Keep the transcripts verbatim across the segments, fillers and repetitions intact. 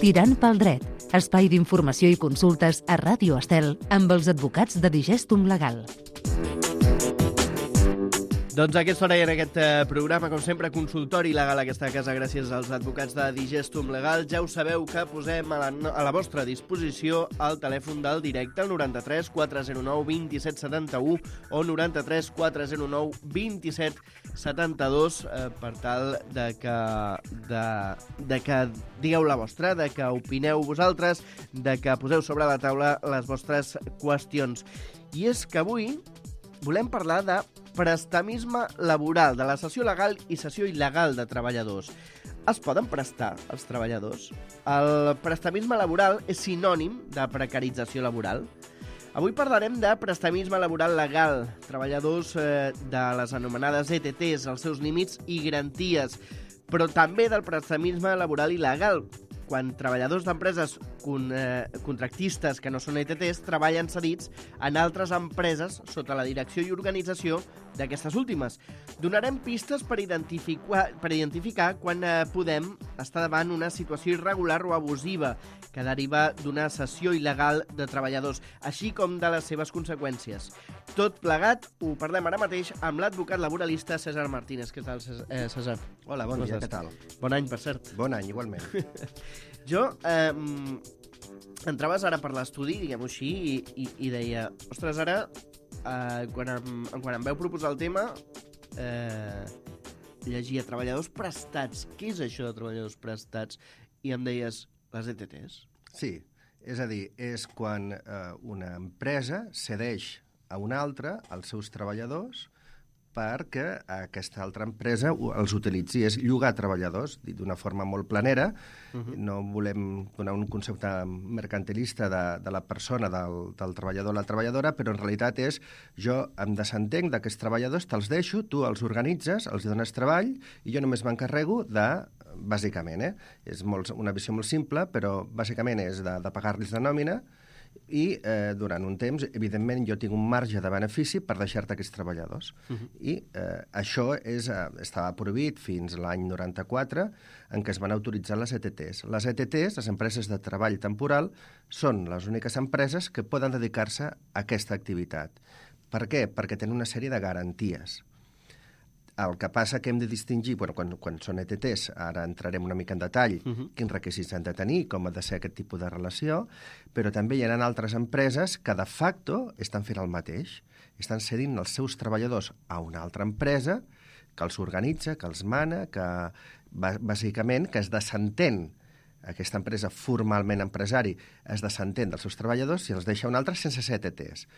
Tirant pel dret, espai d'informació i consultes a Ràdio Estel amb els advocats de Digestum Legal. Doncs a aquesta hora i en aquest eh, programa, com sempre, consultori legal a aquesta casa gràcies als advocats de Digestum Legal. Ja ho sabeu que posem a la, a la vostra disposició el telèfon del directe, el noranta-tres quatre zero nou dos set set u o noranta-tres quatre zero nou dos set set dos eh, per tal de que, de, de que digueu la vostra, de que opineu vosaltres, de que poseu sobre la taula les vostres qüestions. I és que avui volem parlar de prestamisme laboral, de la cessió legal i cessió il·legal de treballadors. Es poden prestar els treballadors? El prestamisme laboral és sinònim de precarització laboral. Avui parlarem de prestamisme laboral legal, treballadors eh, de les anomenades E T Ts, els seus límits i garanties, però també del prestamisme laboral il·legal, quan treballadors d'empreses con, eh, contractistes que no són E T Ts treballen cedits en altres empreses sota la direcció i organització d'aquestes últimes. Donarem pistes per identificar, per identificar quan eh, podem estar davant una situació irregular o abusiva que deriva d'una cessió il·legal de treballadors, així com de les seves conseqüències. Tot plegat ho parlem ara mateix amb l'advocat laboralista César Martínez. Què tal, César? Hola, bon dia, què tal? Bon any, per cert. Bon any, igualment. Jo, eh, entraves ara per l'estudi, diguem-ho així, i, i, i deia, ostres, ara, eh, quan, em, quan em veu proposar el tema, eh, llegia treballadors prestats. Què és això de treballadors prestats? I em deies, les E T Ts? Sí, és a dir, és quan eh, una empresa cedeix a una altra els seus treballadors perquè aquesta altra empresa els utilitzi. És llogar treballadors, dit d'una forma molt planera. Uh-huh. No volem donar un concepte mercantilista de, de la persona, del, del treballador o la treballadora, però en realitat és jo em desentenc d'aquests treballadors, te'ls deixo, tu els organitzes, els dones treball i jo només m'encarrego de, bàsicament, eh? és molt, una visió molt simple, però bàsicament és de, de pagar-los la nòmina i eh, durant un temps, evidentment, jo tinc un marge de benefici per deixar-te aquests treballadors. Uh-huh. I eh, això és, eh, estava prohibit fins l'any noranta-quatre, en què es van autoritzar les E T Ts. Les E T Ts, les empreses de treball temporal, són les úniques empreses que poden dedicar-se a aquesta activitat. Per què? Perquè tenen una sèrie de garanties. El que passa que hem de distingir, bueno, quan, quan són E T Ts, ara entrarem una mica en detall, uh-huh. quins requisits han de tenir, com ha de ser aquest tipus de relació, però també hi ha altres empreses que de facto estan fent el mateix. Estan cedint els seus treballadors a una altra empresa que els organitza, que els mana, que bàsicament que es desentén. Aquesta empresa, formalment empresari, es desentén dels seus treballadors i els deixa un altre sense ser E T Ts.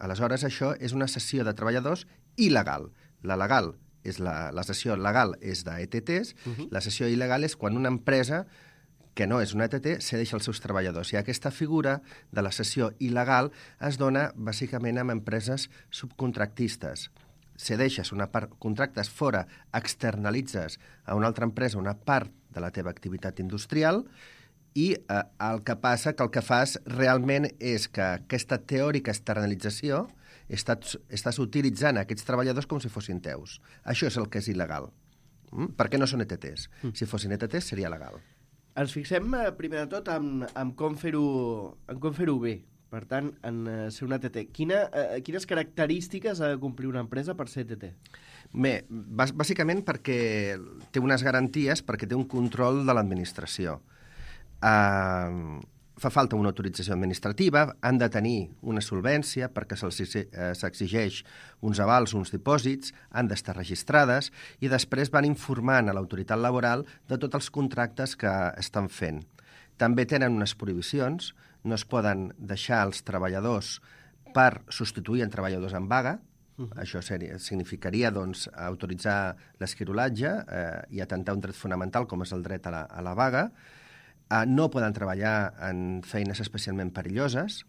Aleshores, això és una cessió de treballadors il·legal. La legal és la, la cessió legal és d'E T Ts, uh-huh. La cessió il·legal és quan una empresa que no és una E T T cedeix els seus treballadors. I aquesta figura de la cessió il·legal es dona bàsicament amb empreses subcontractistes. Cedeixes una part, contractes fora, externalitzes a una altra empresa una part de la teva activitat industrial i eh, el que passa que el que fas realment és que aquesta teòrica externalització estàs, estàs utilitzant aquests treballadors com si fossin teus. Això és el que és il·legal. Mm? Perquè no són E T Ts. Mm. Si fossin E T Ts seria legal. Ens fixem, eh, primer de tot, en, en com fer-ho en com fer-ho bé. Per tant, en uh, ser una E T T. Quina, uh, quines característiques ha de complir una empresa per ser E T T? Bé, bàsicament perquè té unes garanties, perquè té un control de l'administració. Uh, fa falta una autorització administrativa, han de tenir una solvència perquè se'ls s'exigeix uns avals, uns dipòsits, han d'estar registrades i després van informant a l'autoritat laboral de tots els contractes que estan fent. També tenen unes prohibicions, no es poden deixar els treballadors per substituir en treballadors en vaga. Uh-huh. Això seria, significaria doncs, autoritzar l'esquirolatge eh, i atentar un dret fonamental com és el dret a la, a la vaga. Uh, no poden treballar en feines especialment perilloses,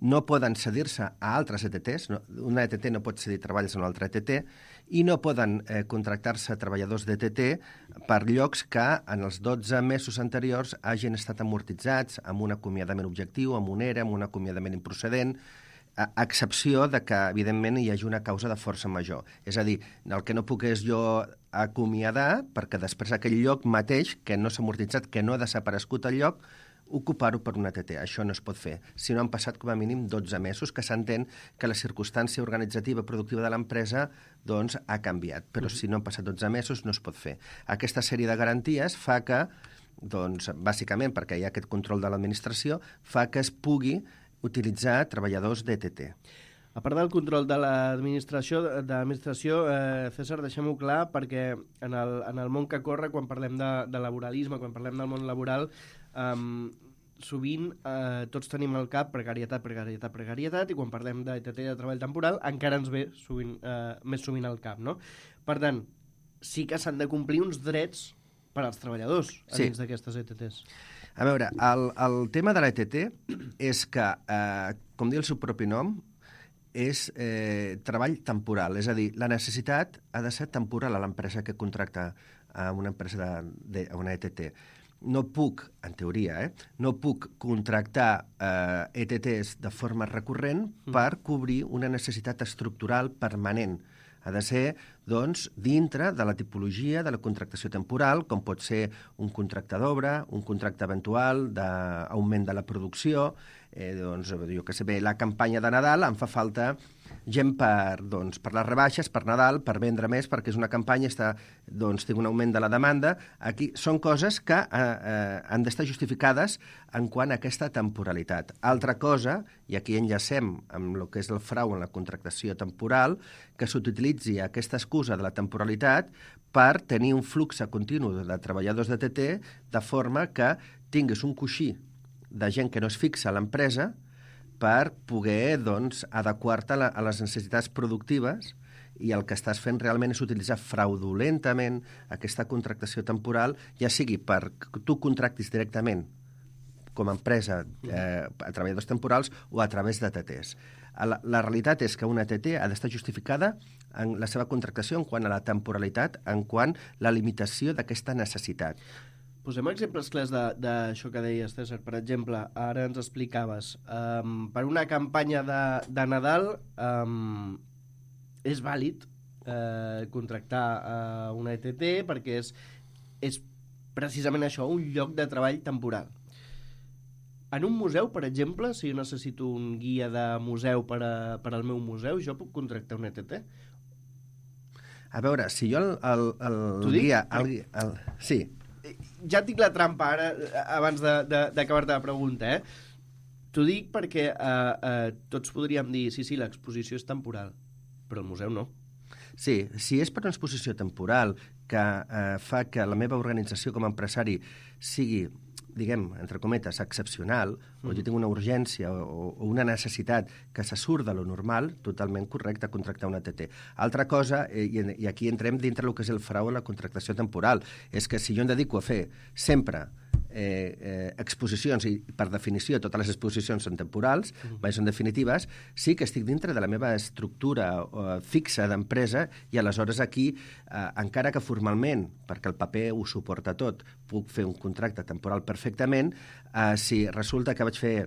no poden cedir-se a altres E T Ts, no, una E T T no pot cedir treballs a una altra E T T, i no poden eh, contractar-se treballadors d'E T T per llocs que en els dotze mesos anteriors hagin estat amortitzats amb un acomiadament objectiu, amb un E R E, amb un acomiadament improcedent. a excepció de que, evidentment, hi hagi una causa de força major. És a dir, el que no puc és jo acomiadar, perquè després aquell lloc mateix, que no s'ha amortitzat, que no ha desaparegut el lloc, ocupar-ho per una T T. Això no es pot fer. Si no han passat com a mínim dotze mesos, que s'entén que la circumstància organitzativa productiva de l'empresa doncs, ha canviat. Però si no han passat dotze mesos no es pot fer. Aquesta sèrie de garanties fa que, doncs, bàsicament perquè hi ha aquest control de l'administració, fa que es pugui utilitzar treballadors d'E T T. A part del control de l'administració, de l'administració eh, César, deixem-ho clar, perquè en el, en el món que corre, quan parlem de, de laboralisme, quan parlem del món laboral, eh, sovint eh, tots tenim al cap precarietat, precarietat, precarietat, i quan parlem d'E T T, de treball temporal, encara ens ve sovint, eh, més sovint al cap, no? Per tant, sí que s'han de complir uns drets per als treballadors a dins sí. d'aquestes E T Ts. A veure, el, el tema de l'E T T és que, eh, com diu el seu propi nom, és eh, treball temporal. És a dir, la necessitat ha de ser temporal a l'empresa que contracta a una empresa de, de, a una E T T. No puc, en teoria, eh, no puc contractar eh, E T Ts de forma recurrent mm. per cobrir una necessitat estructural permanent. Ha de ser, doncs, dintre de la tipologia de la contractació temporal, com pot ser un contracte d'obra, un contracte eventual d'augment de la producció, eh, doncs, jo que sé bé, la campanya de Nadal em fa falta gent per, doncs, per les rebaixes, per Nadal, per vendre més, perquè és una campanya, està, doncs, té un augment de la demanda. Aquí són coses que eh, eh, han d'estar justificades en quant a aquesta temporalitat. Altra cosa, i aquí enllacem amb el que és el frau en la contractació temporal, que s'utilitzi aquesta excusa de la temporalitat per tenir un flux continu de treballadors de T T, de forma que tinguis un coixí de gent que no es fixa a l'empresa per poder, doncs, adequar-te a, a les necessitats productives, i el que estàs fent realment és utilitzar fraudulentament aquesta contractació temporal, ja sigui per tu contractis directament com a empresa eh, a treballadors temporals o a través de T Ts. La, la realitat és que una T T ha d'estar justificada en la seva contractació en quant a la temporalitat, en quant a la limitació d'aquesta necessitat. Posem exemples clars d'això que deies, César. Per exemple, ara ens explicaves, um, per una campanya de, de Nadal um, és vàlid uh, contractar uh, una E T T perquè és, és precisament això, un lloc de treball temporal. En un museu, per exemple, si jo necessito un guia de museu per, a, per al meu museu, jo puc contractar una E T T? A veure, si jo el, el, el, el guia... El, el, sí. Ja tinc la trampa ara, abans d'acabar-te la pregunta, eh? T'ho dic perquè eh, eh, tots podríem dir, sí, sí, l'exposició és temporal, però el museu no. Sí, si és per una exposició temporal que eh, fa que la meva organització com a empresari sigui, diguem, entre cometes, excepcional, mm. o jo tinc una urgència o, o una necessitat que se surt de lo normal, totalment correcte contractar una T T. Altra cosa, eh, i, i aquí entrem dintre del que és el frau en la contractació temporal, és que si jo em dedico a fer sempre eh, eh, exposicions, i per definició totes les exposicions són temporals, mm. mai són definitives, sí que estic dintre de la meva estructura eh, fixa d'empresa, i aleshores aquí, eh, encara que formalment, perquè el paper ho suporta tot, puc fer un contracte temporal perfectament, eh, si resulta que vaig fer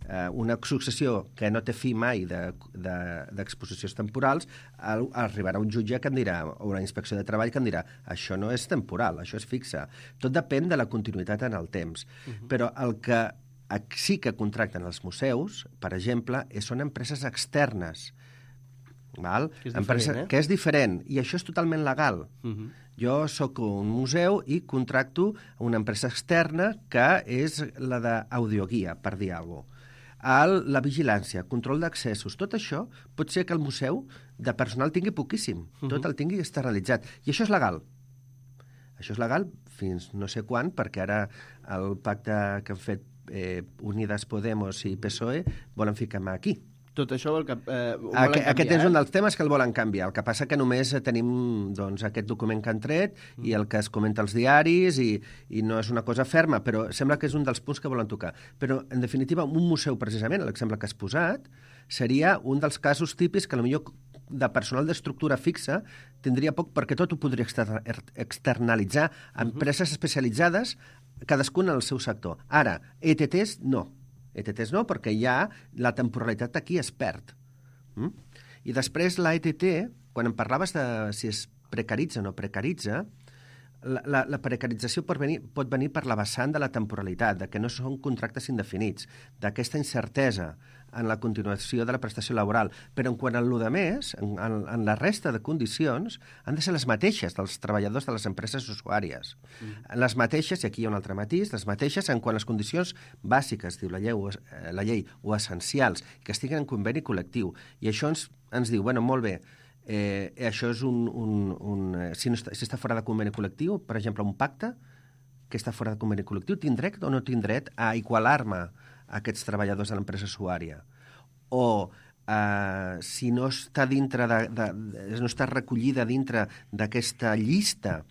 eh, una successió que no té fi mai d'exposicions de, de, temporals, el, arribarà un jutge que em dirà, o una inspecció de treball que em dirà, això no és temporal, això és fixe. Tot depèn de la continuïtat en el temps. Uh-huh. Però el que sí que contracten els museus, per exemple, són empreses externes, val? Que, és Empresa, diferent, eh? que és diferent, i això és totalment legal. Uh-huh. Jo sóc un museu i contracto una empresa externa que és la d'audioguia, per dir alguna cosa. El, la vigilància, control d'accessos, tot això pot ser que el museu de personal tingui poquíssim, uh-huh. tot el tingui externalitzat. I això és legal. Això és legal fins no sé quan, perquè ara el pacte que han fet eh, Unidas Podemos i P S O E volen ficar mà aquí. Tot això vol que, eh, ho volen Aqu canviar, Aquest és eh? un dels temes que el volen canviar. El que passa que només tenim doncs, aquest document que han tret mm. i el que es comenta als diaris i, i no és una cosa ferma, però sembla que és un dels punts que volen tocar. Però, en definitiva, un museu, precisament, l'exemple que has posat, seria un dels casos típics que potser de personal d'estructura fixa tindria poc, perquè tot ho podria externalitzar a empreses especialitzades, cadascuna en el seu sector. Ara, E T Ts, no. E T Ts no, perquè ja la temporalitat aquí es perd. Mm? I després l'A E T T, quan em parlaves de si es precaritza o no precaritza, la, la, la precarització pot venir, pot venir per la vessant de la temporalitat, de que no són contractes indefinits, d'aquesta incertesa en la continuació de la prestació laboral. Però en quant a lo de més, en, en, en la resta de condicions, han de ser les mateixes dels treballadors de les empreses usuàries. Mm. Les mateixes, i aquí hi ha un altre matís, les mateixes en quant a les condicions bàsiques, diu la llei, o, eh, la llei, o essencials, que estiguin en conveni col·lectiu. I això ens, ens diu, bueno, molt bé, Eh, això és un... un, un si, no està, si està fora de conveni col·lectiu, per exemple, un pacte que està fora de conveni col·lectiu, tinc dret o no tinc dret a igualar-me a aquests treballadors de l'empresa usuària? O eh, si no està dintre de, de, de, no està recollida dintre d'aquesta llista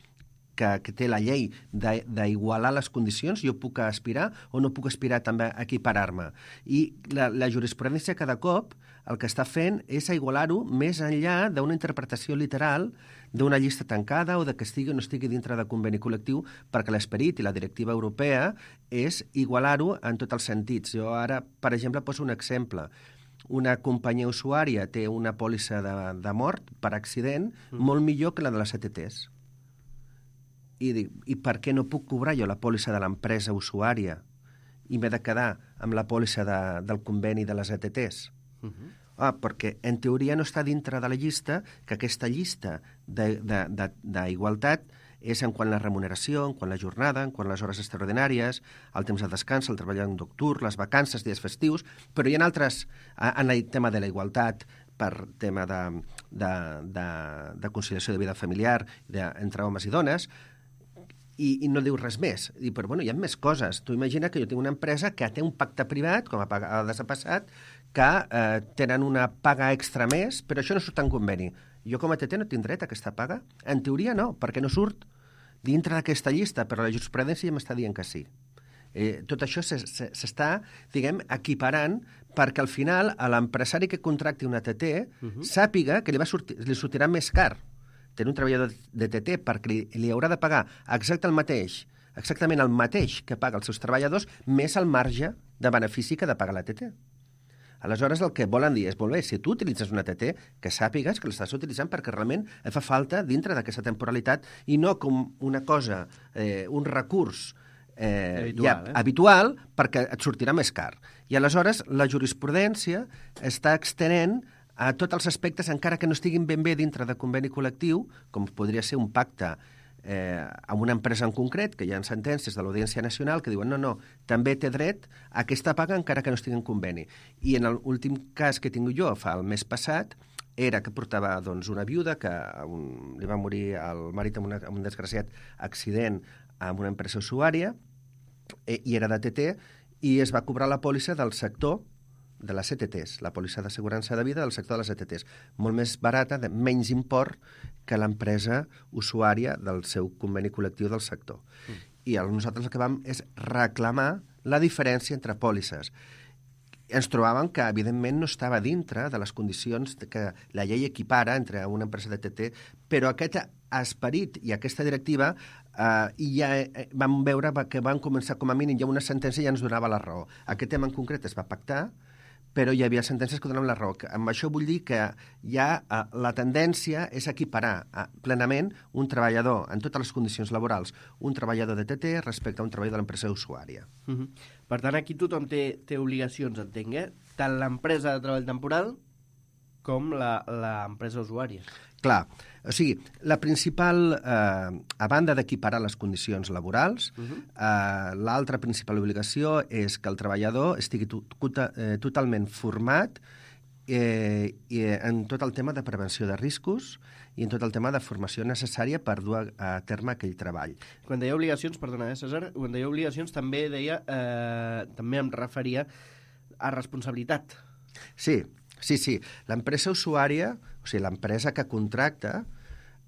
que, que té la llei d'igualar les condicions, jo puc aspirar o no puc aspirar també a equiparar-me. I la, la jurisprudència cada cop el que està fent és igualar-ho més enllà d'una interpretació literal d'una llista tancada o de que estigui o no estigui dintre de conveni col·lectiu, perquè l'esperit i la directiva europea és igualar-ho en tots els sentits. Jo ara, per exemple, poso un exemple. Una companyia usuària té una pòlissa de, de mort per accident mm. molt millor que la de les E T Ts. I dic, i per què no puc cobrar jo la pòlissa de l'empresa usuària i m'he de quedar amb la pòlissa de, del conveni de les E T Ts? Uh-huh. Ah, perquè en teoria no està dintre de la llista, que aquesta llista d'igualtat és en quant a la remuneració, en quant a la jornada, en quant a les hores extraordinàries, el temps de descans, el treball nocturn, les vacances, dies festius, però hi ha altres, en el tema de la igualtat, per tema de, de, de, de conciliació de vida familiar de, entre homes i dones, I, i no diu res més. I, però bueno, hi ha més coses. Tu imagina que jo tinc una empresa que té un pacte privat, com a vegades ha passat, que eh, tenen una paga extra més, però això no surt en conveni. Jo com a T T no tinc dret a aquesta paga? En teoria no, perquè no surt dintre d'aquesta llista, però la jurisprudència ja m'està dient que sí. Eh, tot això s'està, diguem, equiparant perquè al final a l'empresari que contracti una T T uh-huh. sàpiga que li, va sortir, li sortirà més car tenir un treballador de T T perquè li, li haurà de pagar exacte el mateix, exactament el mateix que paga els seus treballadors, més el marge de benefici que ha de pagar la T T. Aleshores, el que volen dir és, molt bé, si tu utilitzes una T T, que sàpigues que l'estàs utilitzant perquè realment et fa falta dintre d'aquesta temporalitat i no com una cosa, eh, un recurs eh, habitual, ja, eh? habitual, perquè et sortirà més car. I aleshores la jurisprudència està extenent a tots els aspectes, encara que no estiguin ben bé dintre de conveni col·lectiu, com podria ser un pacte eh, amb una empresa en concret, que hi ha sentències de l'Audiència Nacional que diuen no, no, també té dret a aquesta paga encara que no estigui en conveni. I en l'últim cas que tinc jo, fa el mes passat, era que portava doncs, una viuda que un, li va morir el marit amb, una, amb un desgraciat accident amb una empresa usuària, eh, i era de T T, i es va cobrar la pòlissa del sector de les E T Ts, la pòlissa d'assegurança de vida del sector de les E T Ts, molt més barata, de menys import que l'empresa usuària del seu conveni col·lectiu del sector. Mm. I nosaltres el que vam és reclamar la diferència entre pòlisses. Ens trobàvem que, evidentment, no estava dintre de les condicions que la llei equipara entre una empresa de T T, però aquest esperit i aquesta directiva eh, i ja eh, vam veure que van començar, com a mínim, ja una sentència ja ens donava la raó. Aquest tema en concret es va pactar, però hi havia sentències que donaven la raó. Amb això vull dir que ja eh, la tendència és equiparar eh, plenament un treballador en totes les condicions laborals, un treballador de T T respecte a un treballador de l'empresa usuària. Uh-huh. Per tant, aquí tothom té, té obligacions, entenc, eh? Tant l'empresa de treball temporal com l'empresa usuària. Clar, o sigui, la principal, eh, a banda d'equiparar les condicions laborals, uh-huh. eh, l'altra principal obligació és que el treballador estigui to eh, totalment format eh, i en tot el tema de prevenció de riscos i en tot el tema de formació necessària per dur a, a terme aquell treball. Quan deia obligacions, perdona, eh, César, quan deia obligacions també deia, eh, també em referia a responsabilitat. Sí, sí, sí. L'empresa usuària, o sigui, l'empresa que contracta,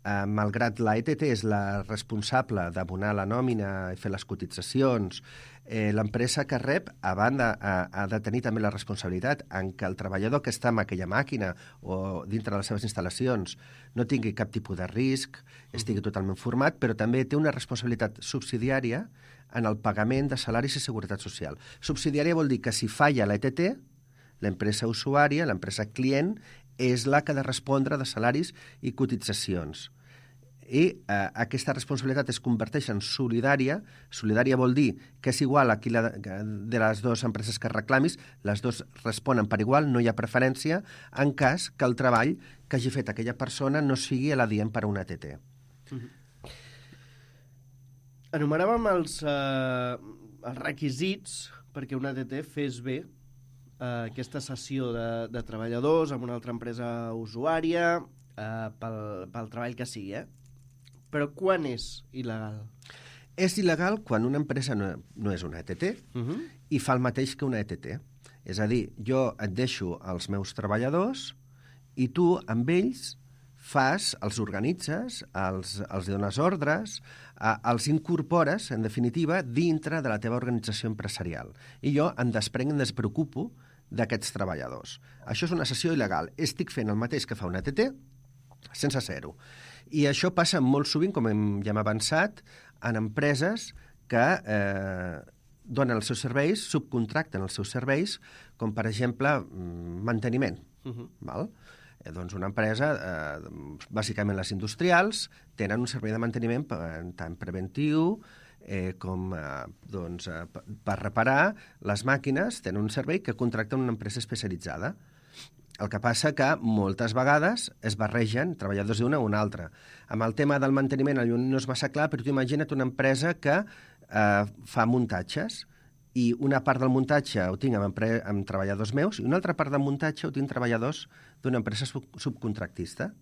eh, malgrat la E T T és la responsable d'abonar la nòmina i fer les cotitzacions, eh, l'empresa que rep, a banda, ha, ha de tenir també la responsabilitat en que el treballador que està en aquella màquina o dintre de les seves instal·lacions no tingui cap tipus de risc, estigui totalment format, però també té una responsabilitat subsidiària en el pagament de salaris i seguretat social. Subsidiària vol dir que si falla la E T T, l'empresa usuària, l'empresa client, és la que ha de respondre de salaris i cotitzacions. I eh, aquesta responsabilitat es converteix en solidària. Solidària vol dir que és igual a qui la, de les dues empreses que reclamis, les dues responen per igual, no hi ha preferència, en cas que el treball que hagi fet aquella persona no sigui l'adient per a una A T T. Mm-hmm. Enumeràvem els, eh, els requisits perquè una A T T fes bé eh, aquesta cessió de, de treballadors amb una altra empresa usuària eh, pel, pel treball que sigui, eh? Però quan és il·legal? És il·legal quan una empresa no, no és una E T T uh-huh. i fa el mateix que una E T T. És a dir, jo et deixo els meus treballadors i tu amb ells fas, els organitzes, els, els dones ordres, eh, els incorpores, en definitiva, dintre de la teva organització empresarial. I jo em desprenc, em despreocupo d'aquests treballadors. Això és una cessió il·legal. Estic fent el mateix que fa una E T T sense ser-ho. I això passa molt sovint, com hem, ja hem avançat, en empreses que eh, donen els seus serveis, subcontracten els seus serveis, com per exemple manteniment. Uh-huh. Val? Eh, doncs una empresa, eh, bàsicament les industrials, tenen un servei de manteniment tant preventiu eh, com eh, doncs, eh, per reparar les màquines, tenen un servei que contracten una empresa especialitzada. El que passa que moltes vegades es barregen treballadors d'una o una altra. Amb el tema del manteniment no és massa clar, però tu imagina't una empresa que eh, fa muntatges i una part del muntatge ho tinc amb, amb treballadors meus i una altra part del muntatge ho tinc treballadors d'una empresa sub subcontractista.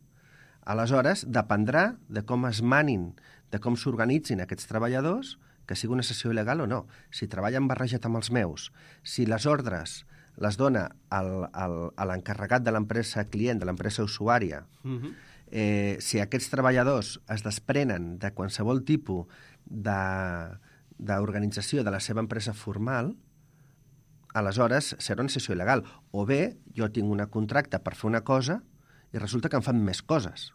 Aleshores, dependrà de com es manin, de com s'organitzin aquests treballadors, que sigui una cessió il·legal o no. Si treballen barrejat amb els meus, si les ordres les dona al, al, a l'encarregat de l'empresa client, de l'empresa usuària, uh-huh. eh, si aquests treballadors es desprenen de qualsevol tipus d'organització de, de la seva empresa formal, aleshores serà una cessió il·legal. O bé, jo tinc un contracte per fer una cosa i resulta que em fan més coses.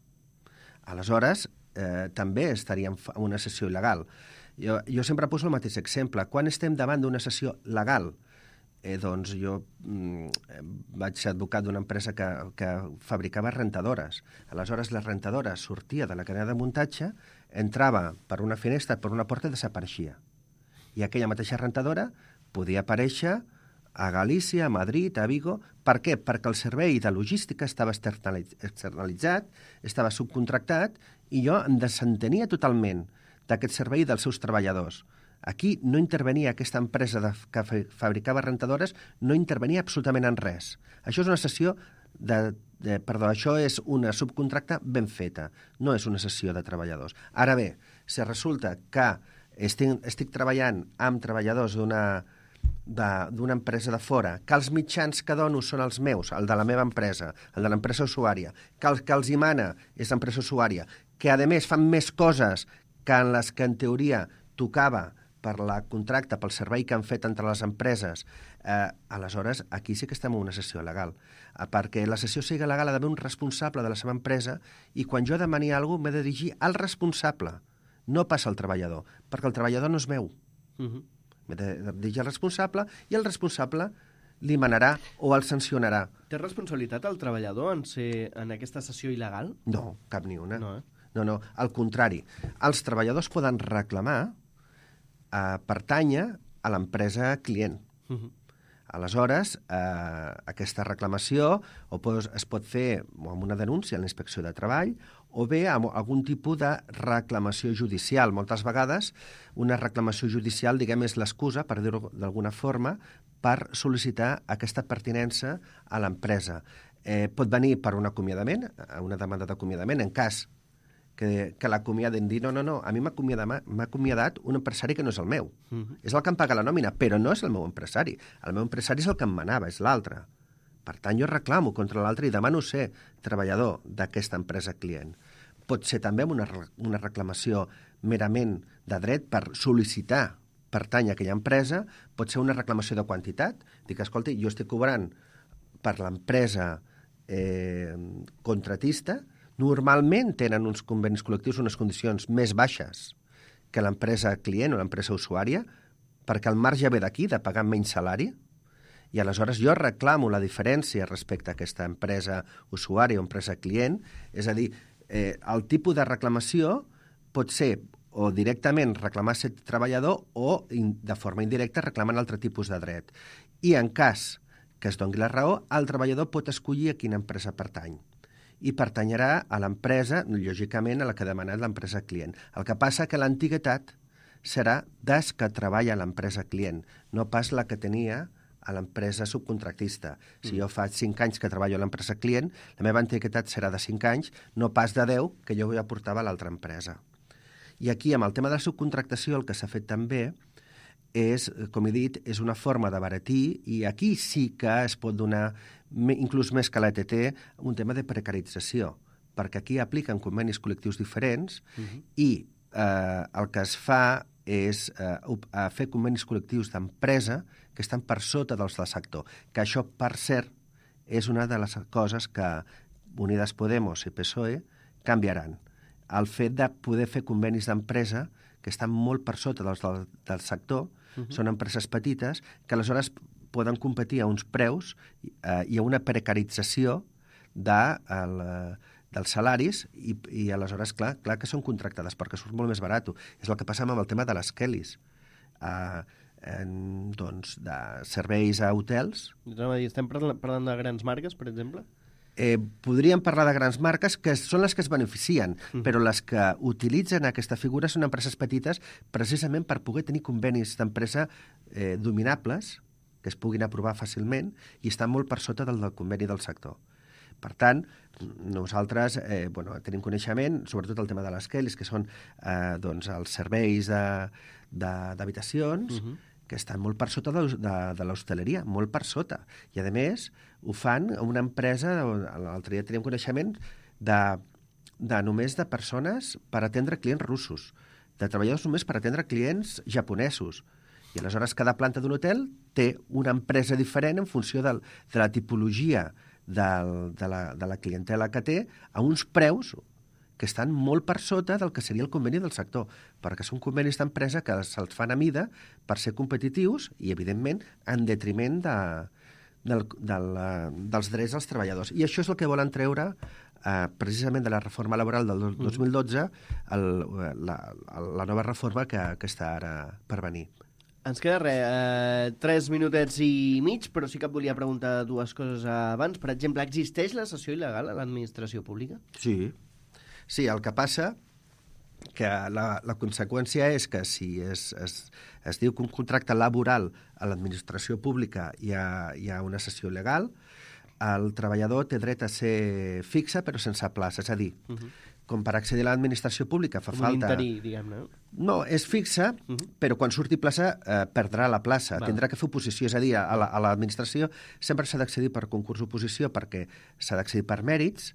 Aleshores, eh, també estaria en una cessió il·legal. Jo, jo sempre poso el mateix exemple. Quan estem davant d'una cessió legal, Eh, doncs jo mm, vaig ser advocat d'una empresa que, que fabricava rentadores. Aleshores, la rentadora sortia de la cadena de muntatge, entrava per una finestra, per una porta i desapareixia. I aquella mateixa rentadora podia aparèixer a Galícia, a Madrid, a Vigo. Per què? Perquè el servei de logística estava externalitzat, estava subcontractat, i jo em desentenia totalment d'aquest servei dels seus treballadors. Aquí no intervenia aquesta empresa de, que fabricava rentadores, no intervenia absolutament en res. Això és una cessió de, de... Perdó, això és una subcontracta ben feta, no és una cessió de treballadors. Ara bé, si resulta que estic, estic treballant amb treballadors d'una d'una empresa de fora, que els mitjans que dono són els meus, el de la meva empresa, el de l'empresa usuària, que el que els hi mana és l'empresa usuària, que a més fan més coses que en les que en teoria tocava per la contracte, pel servei que han fet entre les empreses, eh, aleshores aquí sí que estem en una cessió legal. Eh, perquè la cessió sigui legal ha d'haver un responsable de la seva empresa i quan jo demani alguna cosa m'he de dirigir al responsable, no passa al treballador, perquè el treballador no és meu. Uh-huh. M'he de dirigir al responsable i el responsable li manarà o el sancionarà. Té responsabilitat el treballador en ser en aquesta cessió il·legal? No, cap ni una. No, eh? No, no, al contrari. Els treballadors poden reclamar a pertànyer a l'empresa client. Uh-huh. Aleshores, eh, aquesta reclamació o pos, es pot fer amb una denúncia a la Inspecció de Treball o bé amb algun tipus de reclamació judicial. Moltes vegades una reclamació judicial, diguem, és l'excusa, per dir-ho d'alguna forma, per sol·licitar aquesta pertinença a l'empresa. Eh, pot venir per un acomiadament, una demanda d'acomiadament, en cas que, que l'acomiaden dir, no, no, no, a mi m'ha acomiadat, acomiadat un empresari que no és el meu. Uh-huh. És el que em paga la nòmina, però no és el meu empresari. El meu empresari és el que em manava, és l'altre. Per tant, jo reclamo contra l'altre i demano ser treballador d'aquesta empresa client. Pot ser també una, una reclamació merament de dret per sol·licitar pertany a aquella empresa, pot ser una reclamació de quantitat. Dic, escolta, jo estic cobrant per l'empresa eh, contratista, normalment tenen uns convenis col·lectius unes condicions més baixes que l'empresa client o l'empresa usuària, perquè el marge ve d'aquí, de pagar menys salari, I aleshores jo reclamo la diferència respecte a aquesta empresa usuària o empresa client, és a dir, eh, el tipus de reclamació pot ser o directament reclamar ser treballador o de forma indirecta reclamant altre tipus de dret. I en cas que es doni la raó, el treballador pot escollir a quina empresa pertany i pertanyerà a l'empresa, lògicament, a la que ha demanat l'empresa client. El que passa que l'antiguitat serà des que treballa a l'empresa client, no pas la que tenia a l'empresa subcontractista. Si jo fa cinc anys que treballo a l'empresa client, la meva antiguitat serà de cinc anys, no pas de deu que jo ja portava a l'altra empresa. I aquí, amb el tema de la subcontractació, el que s'ha fet també és, com he dit, és una forma d'abaratir, i aquí sí que es pot donar, inclús més que l'E T T, un tema de precarització, perquè aquí apliquen convenis col·lectius diferents uh-huh. i eh, el que es fa és eh, fer convenis col·lectius d'empresa que estan per sota dels del sector, que això, per cert, és una de les coses que Unidas Podemos i P S O E canviaran. El fet de poder fer convenis d'empresa que estan molt per sota dels del, del sector, uh-huh. són empreses petites, que aleshores poden competir a uns preus eh, i a una precarització de, el, dels salaris i, i aleshores, clar, clar que són contractades perquè surt molt més barat. És el que passa amb el tema de les Kellys. Eh, en, doncs, de serveis a hotels. Estem parlant de grans marques, per exemple? Eh, podríem parlar de grans marques que són les que es beneficien, mm. però les que utilitzen aquesta figura són empreses petites precisament per poder tenir convenis d'empresa eh, dominables, que es puguin aprovar fàcilment i estan molt per sota del, del conveni del sector. Per tant, nosaltres eh, bueno, tenim coneixement, sobretot el tema de les Kellys, que són eh, doncs, els serveis d'habitacions, uh-huh. que estan molt per sota de, de, de l'hostaleria, molt per sota. I, a més, ho fan a una empresa, l'altre dia teníem coneixement, de, de només de persones per atendre clients russos, de treballadors només per atendre clients japonesos. I aleshores cada planta d'un hotel té una empresa diferent en funció del, de la tipologia del, de, la, de la clientela que té, a uns preus que estan molt per sota del que seria el conveni del sector, perquè són convenis d'empresa que se'ls fan a mida per ser competitius i, evidentment, en detriment de, del, del, dels drets dels treballadors. I això és el que volen treure eh, precisament de la reforma laboral del dos mil dotze, el, la, la nova reforma que, que està ara per venir. Ens queda res, eh, tres minutets i mig, però sí que et volia preguntar dues coses abans. Per exemple, existeix la cessió il·legal a l'administració pública? Sí. Sí, el que passa que la, la conseqüència és que si es, es, es diu que un contracte laboral a l'administració pública hi ha, hi ha una cessió il·legal, el treballador té dret a ser fixe però sense plaça, és a dir, uh-huh. com per accedir a l'administració pública fa com falta... un interí, diguem-ne. No, és fixa, uh-huh. però quan surti plaça eh, perdrà la plaça, Va. tindrà que fer oposició, és a dir, a l'administració sempre s'ha d'accedir per concurs oposició perquè s'ha d'accedir per mèrits,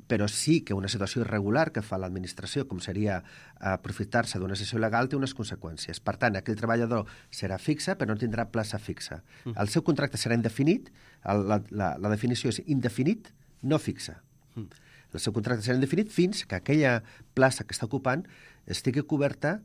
però sí que una situació irregular que fa l'administració, com seria aprofitar-se d'una sessió legal, té unes conseqüències. Per tant, aquell treballador serà fixe, però no tindrà plaça fixa. Mm. El seu contracte serà indefinit, el, la, la, la definició és indefinit, no fixa. Mm. El seu contracte serà indefinit fins que aquella plaça que està ocupant estigui coberta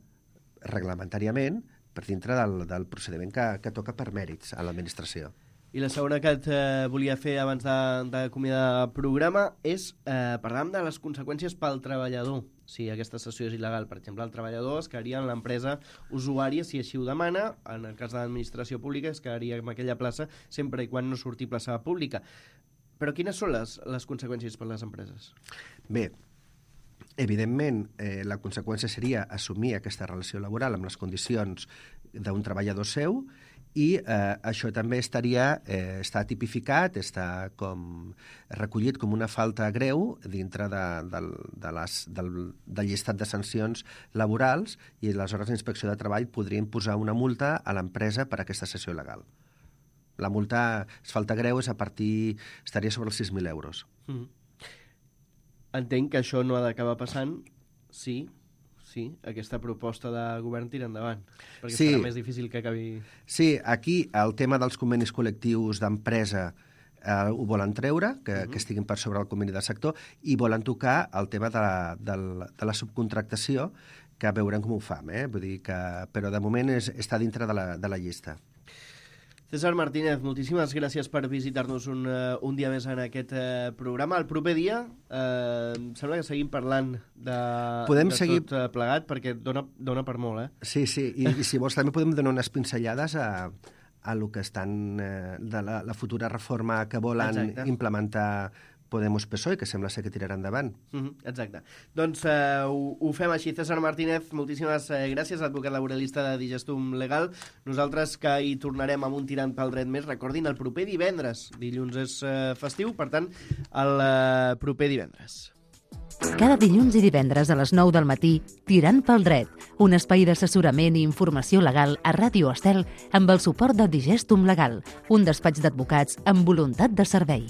reglamentàriament per dintre del, del procediment que, que toca per mèrits a l'administració. I la segona que et eh, volia fer abans d'acomiadar el programa és eh, parlar de les conseqüències pel treballador. Si aquesta cessió és il·legal, per exemple, el treballador es quedaria en l'empresa usuària si així ho demana. En el cas de l'administració pública es quedaria en aquella plaça sempre i quan no surti plaça pública. Però quines són les, les conseqüències per les empreses? Bé, evidentment, eh, la conseqüència seria assumir aquesta relació laboral amb les condicions d'un treballador seu i eh, això també estaria, eh, està tipificat, està com recollit com una falta greu dintre de, de, de les, del, del llistat de sancions laborals i aleshores la Inspecció de Treball podria imposar una multa a l'empresa per aquesta cessió il·legal. La multa, és falta greu, és a partir, estaria sobre els sis mil euros. Mm. Entenc que això no ha d'acabar passant, sí, sí, aquesta proposta de govern tira endavant, perquè sí. serà més difícil que acabi... Sí, aquí el tema dels convenis col·lectius d'empresa eh, ho volen treure, que, uh-huh. que estiguin per sobre el conveni del sector, i volen tocar el tema de la, de la, de la subcontractació, que veurem com ho fam, eh? Vull dir que, però de moment és, està dintre de la, de la llista. César Martínez, moltíssimes gràcies per visitar-nos un, uh, un dia més en aquest uh, programa. El proper dia uh, em sembla que seguim parlant de, podem de seguir... tot uh, plegat, perquè dona, dona per molt, eh? Sí, sí, i, i si vols també podem donar unes pinzellades a, a lo que estan eh, de la, la futura reforma que volen Exacte. implementar Podemos P S O E, que sembla ser que tirarà endavant. Mm-hmm, exacte. Doncs uh, ho, ho fem així. César Martínez, moltíssimes uh, gràcies, advocat laboralista de Digestum Legal. Nosaltres que hi tornarem amb un tirant pel dret més. Recordin, el proper divendres. Dilluns és uh, festiu, per tant, el uh, proper divendres. Cada dilluns i divendres a les nou del matí, Tirant pel dret, un espai d'assessorament i informació legal a Ràdio Estel amb el suport de Digestum Legal, un despatx d'advocats amb voluntat de servei.